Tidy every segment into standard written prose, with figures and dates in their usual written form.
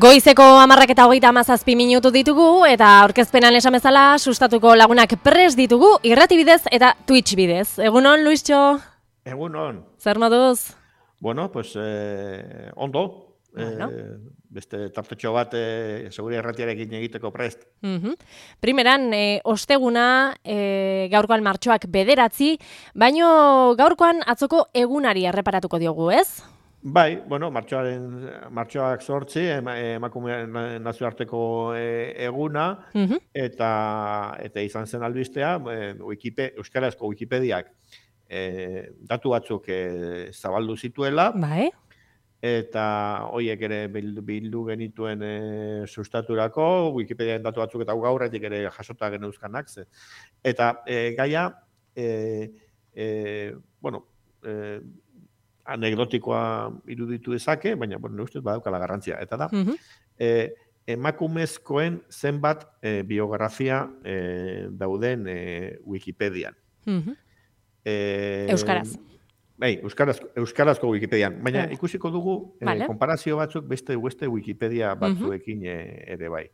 Goizeko 10:37 ditugu eta aurkezpenan esan bezala sustatuko lagunak prest ditugu irrati bidez eta Twitch bidez. Egunon, Luistxo? Egunon. Zer moduz? Bueno, pues ondo. Bueno. Beste tartetxo bat seguria erratiarekin egiteko prest. Primeran, osteguna gaurkoan martxoak 9, baino gaurkoan atzoko egunari erreparatuko diogu, ez? Bai, bueno, martxoak 8 emakumeen nazioarteko eguna, eta izan zen albistea, euskarazko Wikipediak datu batzuk zabaldu zituela, Bai. eta horiek ere bildu genituen sustaturako, Wikipediaren datu batzuk eta gaurretik ere jasota geneuzkanak. Eta gaia, bueno, anekdotikoa iruditu dezake, baina, bueno, ustez badaukala garrantzia. Eta da, emakumezkoen zenbat biografia dauden Wikipedian. Euskaraz. Bai, euskarazko Wikipedian. Baina ikusiko dugu konparazio batzuk beste Wikipedia batzuekin ere bai.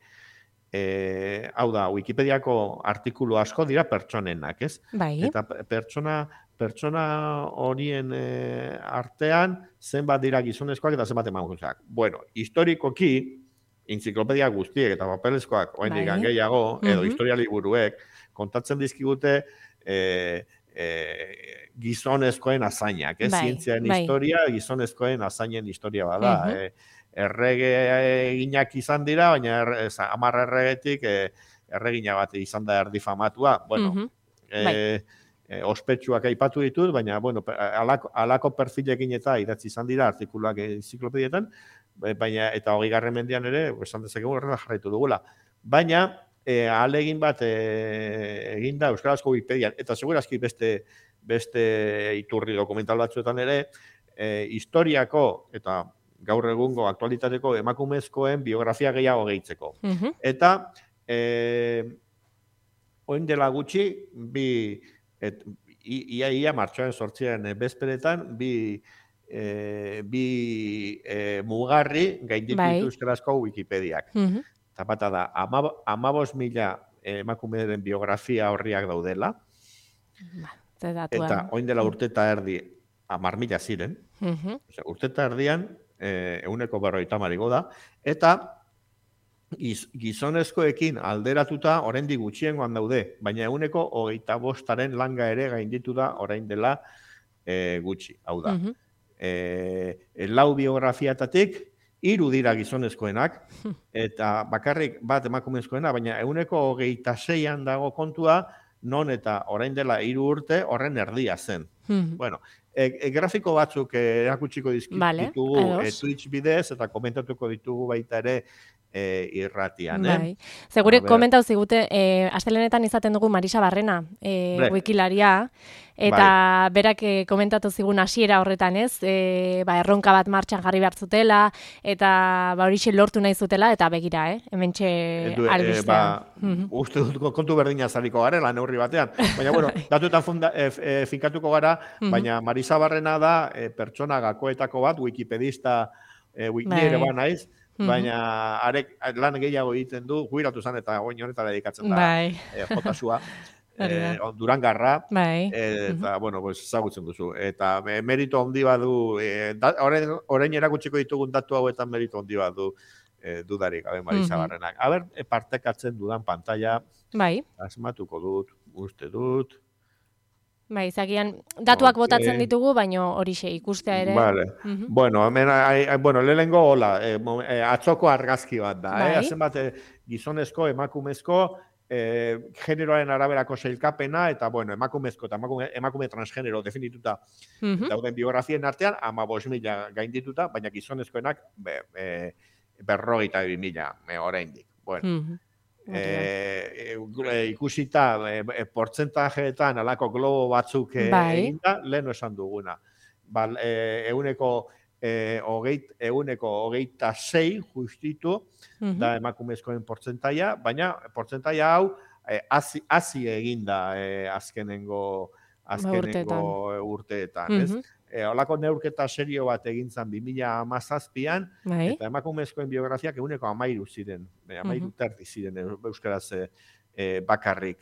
Hau da, Wikipediako artikulu asko dira pertsonenak, ez? Bai. Eta pertsona horien artean zenbat dira gizonezkoak eta zenbat emakumezkoak. Bueno, historikoki, entziklopedia guztiek eta papelezkoak oraindik gehiago, edo historia liburuek, kontatzen dizkigute gizonezkoen azainak, ez? Zientziaren historia, gizonezkoen azainen historia bada. Errege eginak izan dira, baina 10 erregetik erregina bat izan da erdi famatua. Bueno, ospetsuak aipatu ditut, baina, bueno, alako perfilekin eta idatzi izan dira artikuluak enziklopedietan, baina, eta 20. mendean ere, esan dezakegu horrela jarraitu dugula. Baina, ahalegin bat eginda euskarazko Wikipedian, eta segurazki beste iturri dokumental batzuetan ere, historiako eta gaur egungo aktualitateko emakumezkoen biografia gehiago gehitzeko. Eta, orain dela gutxi, ia martxoaren 8 bezperetan, bi mugarri gainditu ditu euskarazko Wikipediak. Eta bata da, 15.000 emakumeen biografia horriak daudela. Eta orain dela urte eta erdi 10.000 ziren. Urte eta erdian 150 igo da. Eta gizonezkoekin alderatuta oraindik gutxiengoan daude, baina 125 langa ere gainditu da orain dela gutxi. Hau da, 4 biografiatatik 3 dira gizonezkoenak, eta bakarrik bat emakumezkoena, baina 126an dago kontua, non eta orain dela 3 urte horren erdia zen. Bueno, grafiko batzuk erakutsiko ditugu Twitch bidez, eta komentatuko ditugu baita ere irratian. Segure komentau zigute, astelenetan izaten dugu Marisa Barrena, wikilaria, eta berak komentatu zigun hasiera horretan, ez? Erronka bat martxan jarri behar zutela, eta horixe lortu nahi zutela, eta begira, hementxe albistean. Uste dut kontu berdina zaliko garela, neurri batean. Baina, bueno, datuetan finkatuko gara, baina Marisa Barrena da pertsona gakoetako bat, wikipedista, ere ba naiz, baina arek lan gehiago egiten du, jubilatu zen eta oin honetara dedikatzen da jotasua, Durangarra, eta, bueno, ezagutzen duzu. Eta merito handi badu, orain erakutsiko ditugun datu hauetan merito handi badu dudarik, Marisa Barrenak. Aber, partekatzen dudan pantalla, asmatuko dut, uste dut. Zagian, datuak botatzen ditugu, baina horixe ikustea ere. Bueno, lehenengo hola, atzoko argazki bat da. Hazen bat gizonezko, emakumezko, generoaren araberako sailkapena, eta bueno, emakumezko eta emakume transgenero definituta dauden biografien artean, 15.000 gaindituta, baina gizonezkoenak 52.000 oraindik. Bueno. Ikusita portzentajeetan alako globo batzuk eginda, lehen esan duguna. 126 justitu da emakumezkoen portzentaia, baina portzentaia hau hazi eginda azkenengo urteetan. Olako neurketa serio bat egin zan 2017an, eta emakumezkoen biografiak 13 ziren, 13 ziren euskaraz bakarrik.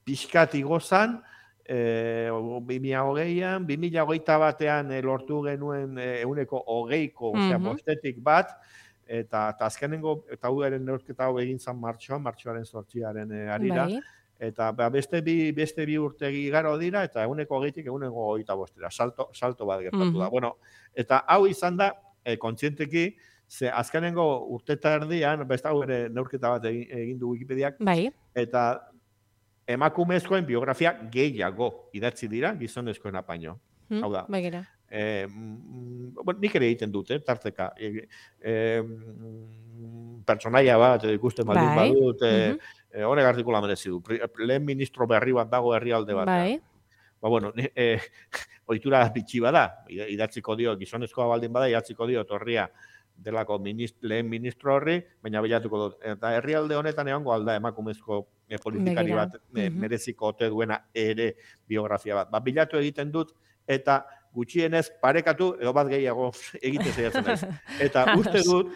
Pixkat igozan, 2020an, 2021an lortu genuen 20%ko, osea, bostetik bat, eta azkenengo, eta huaren neurketa hau egin zan martxoaren 8 harira, eta beste bi urtegi igaro dira, eta 20%tik 25%ra, salto bat gertatu da. Bueno, eta hau izan da, kontzienteki, ze azkenengo urteta erdian, beste hau ere neurketa bat egin du Wikipediak, eta emakumezkoen biografia gehiago idatzi dira gizonezkoen apaino. Hau da. Nik ere egiten dute, tarteka. Pertsonaia bat ikusten baldin badut, honek artikula merezi du. Lehen ministro berri bat dago herrialde batean. Bueno, ohitura bitxi bada, idatziko dio, gizonezkoa baldin bada, idatziko dio torria delako lehen ministro horri, baina bilatuko dut. Eta herrialde honetan egongo alda emakumezko politikari bat mereziko ote duena ere biografia bat. Bilatu egiten dut, eta gutxienez parekatu edo bat gehiago egiten saiatzen naiz. Eta uste dut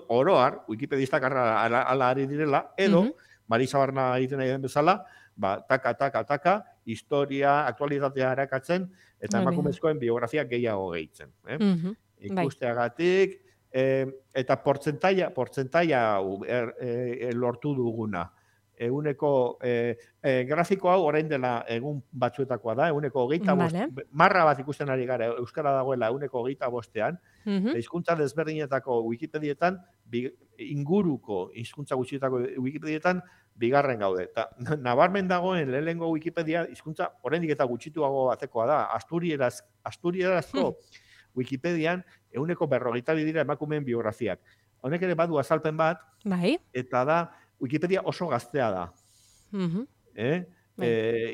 oroar, wikipedistak ala ari direla, edo Marisa Barna egiten nahi den bezala, taka, historia, aktualitatea erakatzen, eta emakumezkoen biografia gehiago gehitzen. Ikusteagatik, eta portzentaia lortu duguna. Grafiko hau orain dela egun batzuetakoa da, 25, marra bat ikusten ari gara, euskara dagoela 25ean, hizkuntza desberdinetako Wikipedietan, inguruko hizkuntza gutxietako Wikipedietan, bigarren gaude. Eta nabarmen dagoen lehenengo Wikipedia hizkuntza oraindik eta gutxituago batekoa da. Asturíasko Wikipedian 42 dira emakumeen biografiak. Honek ere badu azalpen bat, eta da Wikipedia oso gaztea da.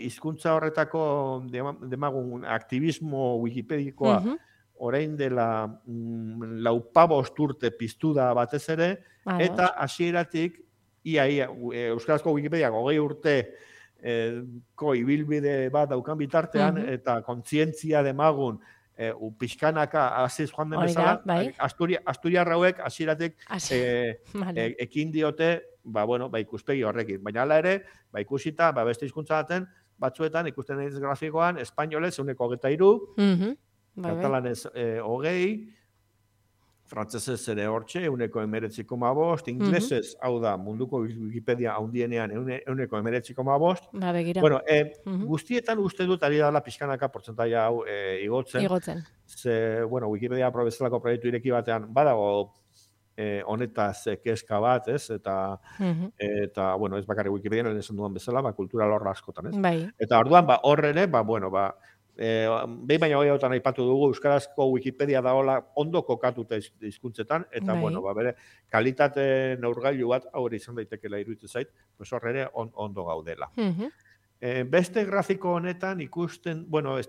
Hizkuntza horretako demagun aktivismo wikipedikoa orain dela 45 urte piztu da batez ere, eta hasieratik ia euskarazko Wikipediak 20 urte ibilbide bat daukan bitartean, eta kontzientzia demagun pixkanaka aziz joan den bezala, Asturiarra hauek hasieratik ekin diote ikuspegi horrekin. Baina hala ere, ikusita, beste hizkuntza batzuetan ikusten naiz grafikoan, espainolez 23%, katalanez 20%, frantsesez ere hortxe 19,5%, inglesez, hau da, munduko Wikipedia handienean 19,5%. Bueno, guztietan uste dut ari dela pixkanaka portzentaia hau igotzen. Ze, Wikipedia bezalako proiektu ireki batean badago honetaz kezka bat, ez? Eta ez bakarrik Wikipedian esan duan bezala, kultura lorra askotan, ez? Eta orduan, hor ere, behin baina hogeiautan aipatu dugu, euskarazko Wikipedia daola ondo kokatuta hizkuntzetan, eta, bere kalitate neurgailu bat, hori izan daitekela iruditzen zait, hor ere ondo gaudela. Beste grafiko honetan ikusten, ez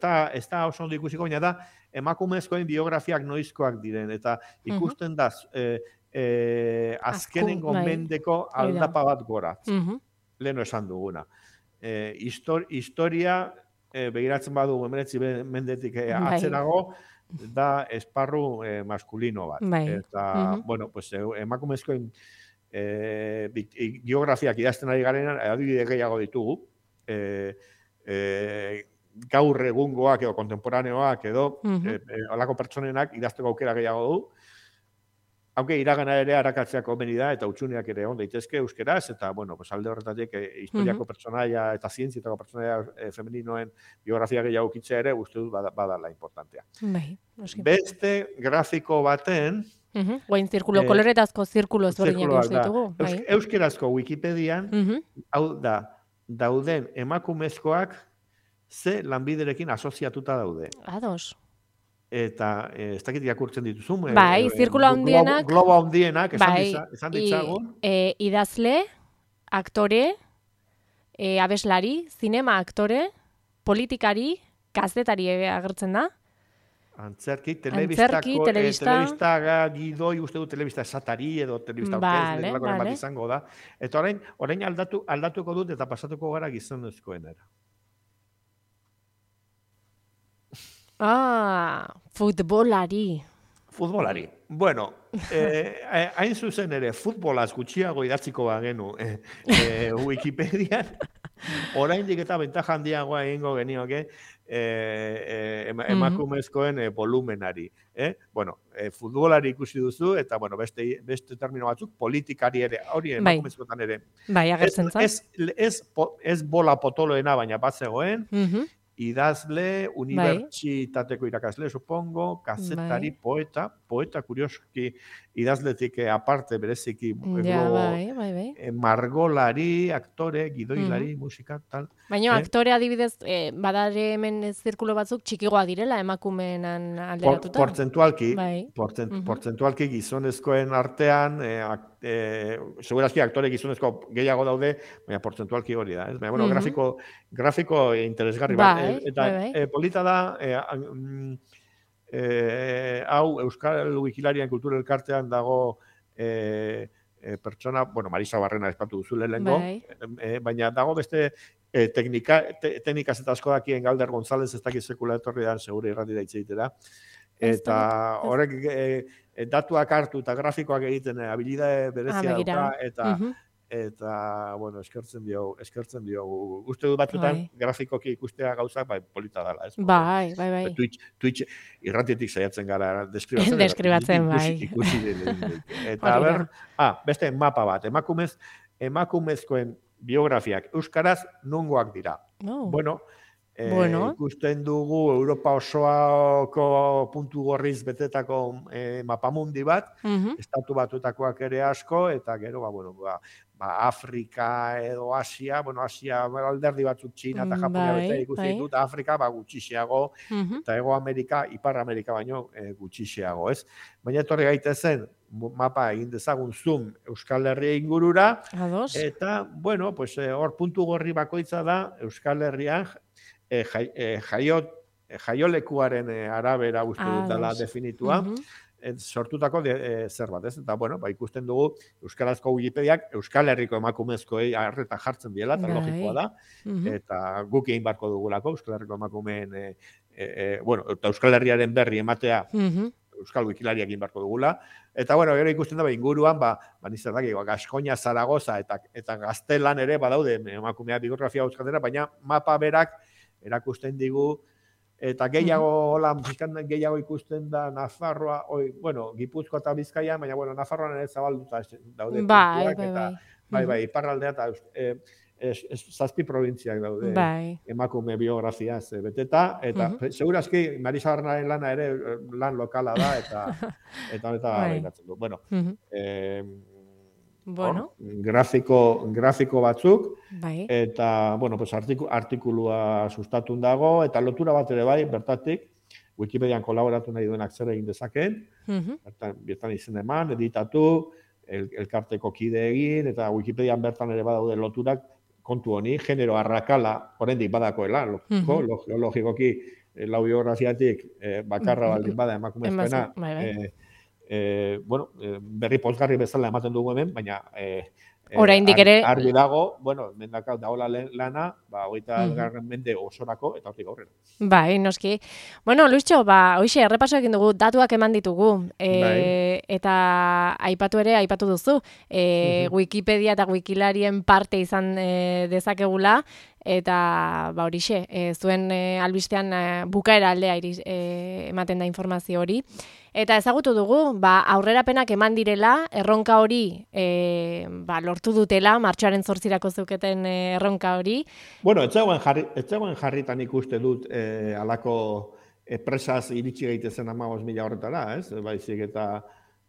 da oso ondo ikusiko, baina da, emakumezkoen biografiak noizkoak diren, eta ikusten da, azkenengo mendeko aldapa bat gora. Leheno esan duguna. Historia, begiratzen badu 19 mendetik atzerago, da esparru maskulino bat. Eta, emakumezkoen biografiak idazten ari garenan, adibide gehiago ditugu, gaur egungoak edo kontemporaneoak edo olako pertsonenak idazteko aukera gehiago du. Hauke iragana ere arakatzea komeni da, eta utxuneak ere on daitezke euskeraz, eta, alde horretatik historiako pertsonaia eta zientzietako pertsonaia femeninoen biografia gehiago kitzea ere, uste dut badala importantea. Beste grafiko baten... Guain zirkulo, koloretazko zirkulo ezberdinak ditugu. Euskerazko Wikipedian, hau da, dauden emakumezkoak ze lanbiderekin asoziatuta daude. Ados. Eta ez dakit irakurtzen dituzun. Zirkulo handienak. Globo handienak, esan ditzagun. Idazle, aktore, abeslari, zinema aktore, politikari, kazetari agertzen da. Antzerki, telebista gidoi, uste du telebista esatari edo telebista orkez, bat izango da. Eta orain aldatuko dut eta pasatuko gara gizonezkoenera. Futbolari. Futbolari. Bueno, hain zuzen ere, futbolaz gutxiago idatziko bagenu Wikipedian, oraindik eta bentaja handiagoa egingo genioke emakumezkoen volumenari. Bueno, futbolari ikusi duzu, eta bueno, beste termino batzuk, politikari ere, hori emakumezkoetan ere. Bai, agertzen zan. Ez bola potoloena, baina bat zegoen, idazle, unibertsitateko irakasle, supongo, kazetari, poeta kurioski idazletik aparte bereziki margolari, aktore, gidoilari, musika, tal. Baina aktore adibidez, badare hemen zirkulo batzuk txikigoa direla emakumeenan alderatuta? Portzentualki gizonezkoen artean, segurazki aktore gizonezko gehiago daude, baina portzentualki hori da. Baina, bueno, grafiko interesgarri bat. Eta polita da, hau Euskal Wikilarian kultura elkartean dago pertsona, bueno, Marisa Barrena espatu duzu lehengo, baina dago beste teknikaz eta asko dakien Galder González ez dakit sekula etorri da, segure irratira itzeitera. Eta horrek datuak hartu eta grafikoak egiten habilidade berezia dauka, eta, bueno, eskertzen diogu. Uste du batzutan, grafikoki ikustea gauzak, polita dela. Bai. Twitch irratietik saiatzen gara deskribatzen, bai. Ikusi eta, beste mapa bat, emakumezkoen biografiak euskaraz nongoak dira. Bueno, ikusten dugu Europa osoako puntu gorriz betetako mapamundi bat, estatu batutakoak ere asko, eta gero, Afrika edo Asia, Asia alderdi batzuk Txina eta Japonia bete ikusten dut, Afrika gutxixiago, eta Hego Amerika, Ipar Amerika baino gutxixiago, ez? Baina etorri gaitezen, mapa egin dezagun zoom Euskal Herria ingurura, eta, bueno, hor puntu gorri bakoitza da Euskal Herrian jaiolekuaren arabera uste dut dela definitua, sortutako zerbait, ez? Eta, bueno, ikusten dugu Euskarazko Wikipediak Euskal Herriko emakumezkoei arreta jartzen diela, eta logikoa da, eta guk egin barko dugulako Euskal Herriko emakumeen, eta Euskal Herriaren berri ematea Euskal Wikilariak egin barko dugula, eta, bueno, gero ikusten da, inguruan, nizerdak, Gaskoina, Zaragoza, eta Gaztelan ere badaude emakumea biografia euskaldera, baina mapa berak erakusten digu, eta gehiago ikusten da Nafarroa, Gipuzkoa eta Bizkaia, baina, Nafarroan ere zabalduta daude. Bai, iparraldea eta zazpi probintziak daude emakume biografiaz beteta, eta segurazki Marisa Barrenaren lana ere lan lokala da, eta behiratzen du. Grafiko batzuk, eta, artikulua sustatun dago, eta lotura bat ere bai, bertatik, Wikipedian kolaboratu nahi duenak zer egin dezakeen, bertan izen eman, editatu, elkarteko kide egin, eta Wikipedian bertan ere badaude loturak, kontu honi, genero arrakala, oraindik badakoela, logikoki, lau biografiatik, bakarra baldin bada emakumezkoena, berri pozgarri bezala ematen dugu hemen, baina oraindik ere argi dago, mendakau daola lana, 20. mende osorako eta hortik aurrera. Bai, noski. Bueno, Luischo, hoxe errepaso egin dugu, datuak eman ditugu, eta aipatu duzu, Wikipedia eta Wikilarien parte izan dezakegula, eta horixe, zuen albistean bukaera aldea ematen da informazio hori. Eta ezagutu dugu, aurrerapenak eman direla, erronka hori lortu dutela, martxoaren 8 zeuketen erronka hori. Bueno, etzegoen jarritan ikuste dut alako presaz iritsi gaitezen 15.000 horretara, ez? Baizik eta,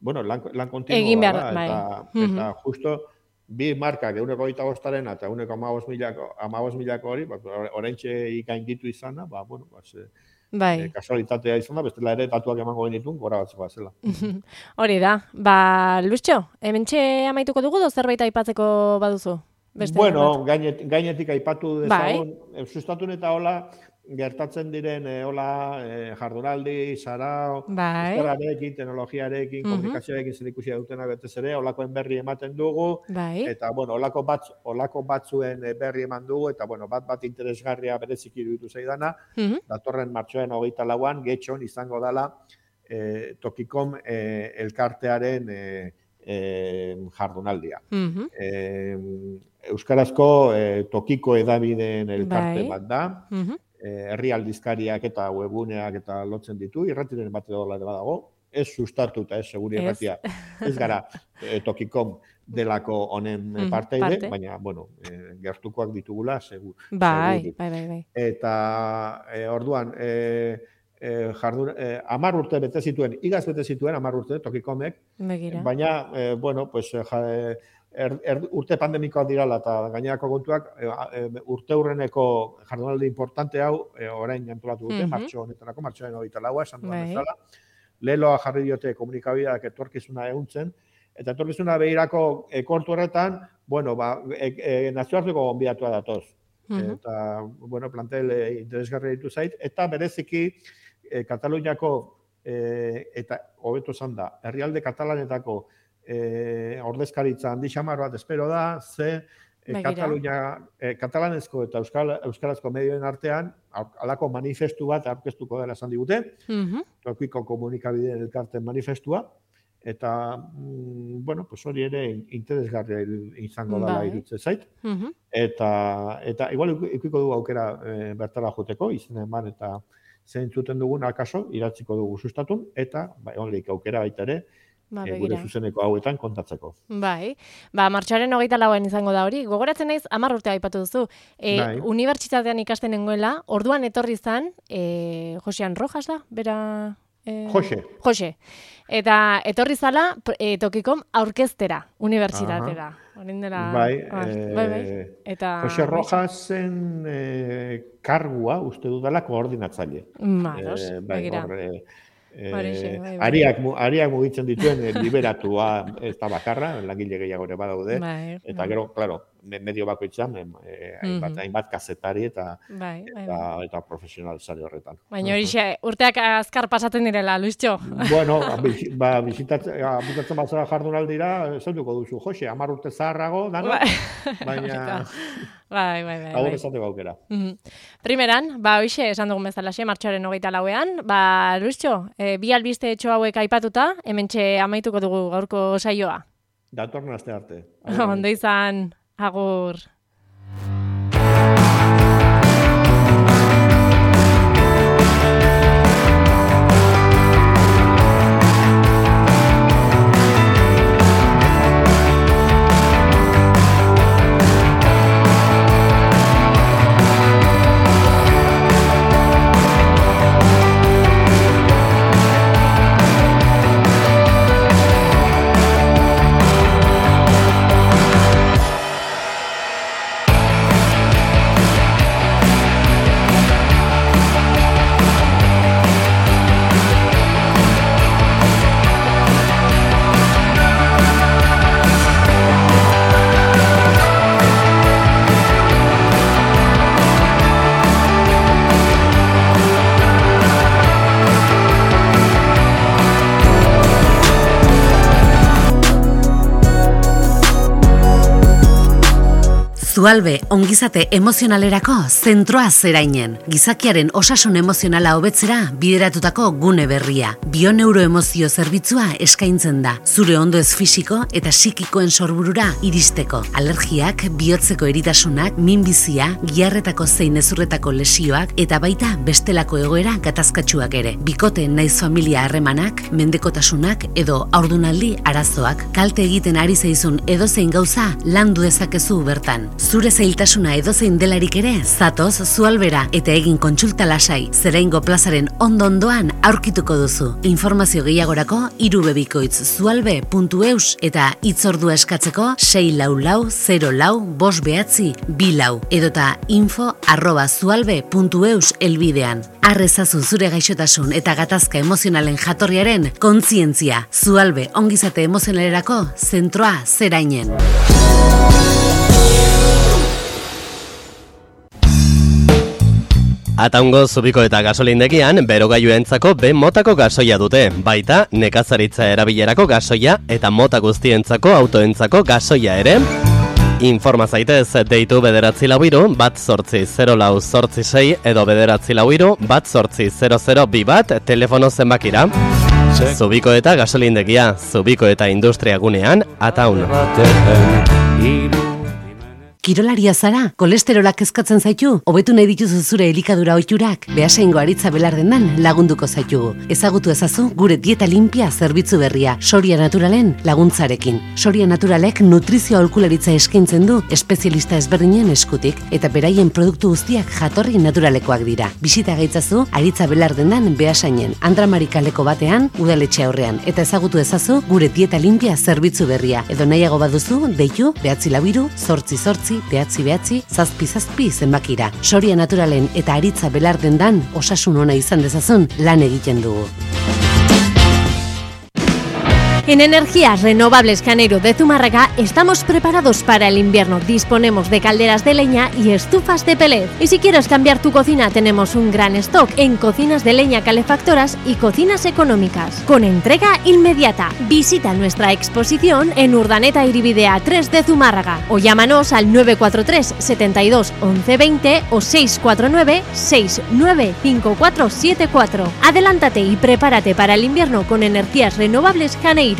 lan kontinua da, eta justo bi markak 125 eta 115.000 hori, oraintxe ikainditu izana, kasualitatea izan da, bestela ere datuak emango genitun, gora batzeko zela. Hori da. Luischo, hementxe amaituko dugu, zerbait aipatzeko baduzu? Bueno, gainetik aipatu dezagun, sustatun eta hola, gertatzen diren jardunaldi, sarao, euskararekin, teknologiarekin, komunikazioarekin zerikusia dutena betez ere, olakoen berri ematen dugu, eta, bueno, olako batzuen berri eman dugu, eta, bueno, bat interesgarria bereziki iruditu zaidana, datorren martxoaren 24an, Getxon izango dela Tokikom elkartearen jardunaldia. Euskarazko tokiko edabideen elkarte bat da, herri aldizkariak eta webuneak eta lotzen ditu, irratiren bat edo badago, ez sustatu eta ez seguri irratia, ez gara Tokikom delako honen parteide, baina, bueno, gertukoak ditugula, seguru. Bai. Eta, orduan, 10 urte bete zituen, igaz bete zituen 10 urte Tokikomek, baina, bueno, pues, urte pandemikoak dirala eta gainerako kontuak, urte hurreneko jardunaldi importante hau, orain antolatu dute, martxo honetarako, martxoaren 24a, esan duan bezala, leloa jarri diote komunikabideak etorkizuna ehuntzen, eta etorkizuna behirako kontu horretan, bueno, nazioarteko gonbidatua datoz. Eta, bueno, plantel interesgarri ditu zait, eta bereziki Kataluniako, eta hobeto esan da, herrialde katalanetako ordezkaritza handi xamar bat espero da, ze katalanezko eta euskarazko medioen artean halako manifestu bat aurkeztuko dela esan digute, Tokiko komunikabideen elkarten manifestua, eta, bueno, pues hori ere interesgarria izango dela iruditzen zait. Eta igual ikiko dugu aukera bertara joteko, izan eman eta zeintzuten dugun akaso, iratziko dugu sustatun, eta honlik aukera baita ere, gure zuzeneko hauetan kontatzeko. Bai, martxoaren 24an izango da hori. Gogoratzen naiz 10 urte aipatu duzu. Unibertsitatean ikasten nengoela, orduan etorri zan, Josean Rojas da, bera... Jose. Eta etorri zala Tokikom aurkeztera, unibertsitatera. Bai. Jose Rojasen kargua uste dudala koordinatzaile. Begira. Ariak mugitzen dituen liberatua ez da bakarra, langile gehiago ere badaude, eta gero, claro, medio bakoitzan, hainbat kazetari eta profesional sare horretan. Baina hori urteak azkar pasatzen direla, Luistxo. Bueno, bizitatzen batzara jardunaldira, zautuko duzu, Jose, 10 urte zaharrago, baina... Bai. Hau esateko aukera. Primeran, hoxe, esan dugun bezalaxe, martxoaren 24an, Luistxo, bi albiste etxo hauek aipatuta, hementxe amaituko dugu gaurko saioa. Datorren aste arte. Ondo izan, agur. Zualbe, ongizate emozionalerako zentroa zerainen. Gizakiaren osasun emozionala hobetzera bideratutako gune berria. Bioneuroemozio zerbitzua eskaintzen da. Zure ondoez fisiko eta psikikoen sorburura iristeko. Alergiak, bihotzeko eritasunak, minbizia, giharretako zein ezurretako lesioak eta baita bestelako egoera gatazkatsuak ere. Bikote naiz familia harremanak, mendekotasunak edo haurdunaldi arazoak. Kalte egiten ari zaizun edozein gauza landu dezakezu bertan. Zure zailtasuna edozein delarik ere, zatoz Zualbera eta egin kontsulta lasai, Zeraingo plazaren ondo-ondoan aurkituko duzu. Informazio gehiagorako irubebikoitz.zualbe.eus eta hitzordua eskatzeko 644-04-594 edota info@zualbe.eus elbidean. Arrezazu zure gaixotasun eta gatazka emozionalen jatorriaren kontzientzia. Zualbe ongizate emozionalerako zentroa zerainen. Ataungo Zubiko eta gasolindegian berogailuentzako B motako gasoia dute, baita nekazaritza erabilerako gasoia eta mota guztientzako autoentzako gasoia ere. Informa zaitez deitu 944-188-046 edo 944-188-0021 telefono zenbakira. Zubiko eta gasolindegia, Zubiko eta industria gunean, Ataun. Kirolaria zara, kolesterolak kezkatzen zaitu, hobetu nahi dituzu zure elikadura ohiturak, Beasaingo Aritza Belardendan lagunduko zaitugu. Ezagutu ezazu gure dieta limpia zerbitzu berria, Soria Naturalen laguntzarekin. Soria Naturalek nutrizio aholkularitza eskaintzen du espezialista ezberdinen eskutik, eta beraien produktu guztiak jatorri naturalekoak dira. Bisita gaitzazu Aritza Belardendan Beasainen, Andramari kaleko batean, udaletxe aurrean, eta ezagutu ezazu gure dieta limpia zerbitzu berria. Edo nahiago baduzu, deitu, 944 zazpi zenbakira. Soria Naturalen eta Aritza Belardendan osasun ona izan dezazun lan egiten dugu. En Energías Renovables Janeiro de Zumárraga estamos preparados para el invierno. Disponemos de calderas de leña y estufas de pellet. Y si quieres cambiar tu cocina, tenemos un gran stock en cocinas de leña calefactoras y cocinas económicas, con entrega inmediata. Visita nuestra exposición en Urdaneta Iribidea 3 de Zumárraga o llámanos al 943 72 11 20 o 649 695474. Adelántate y prepárate para el invierno con Energías Renovables Janeiro.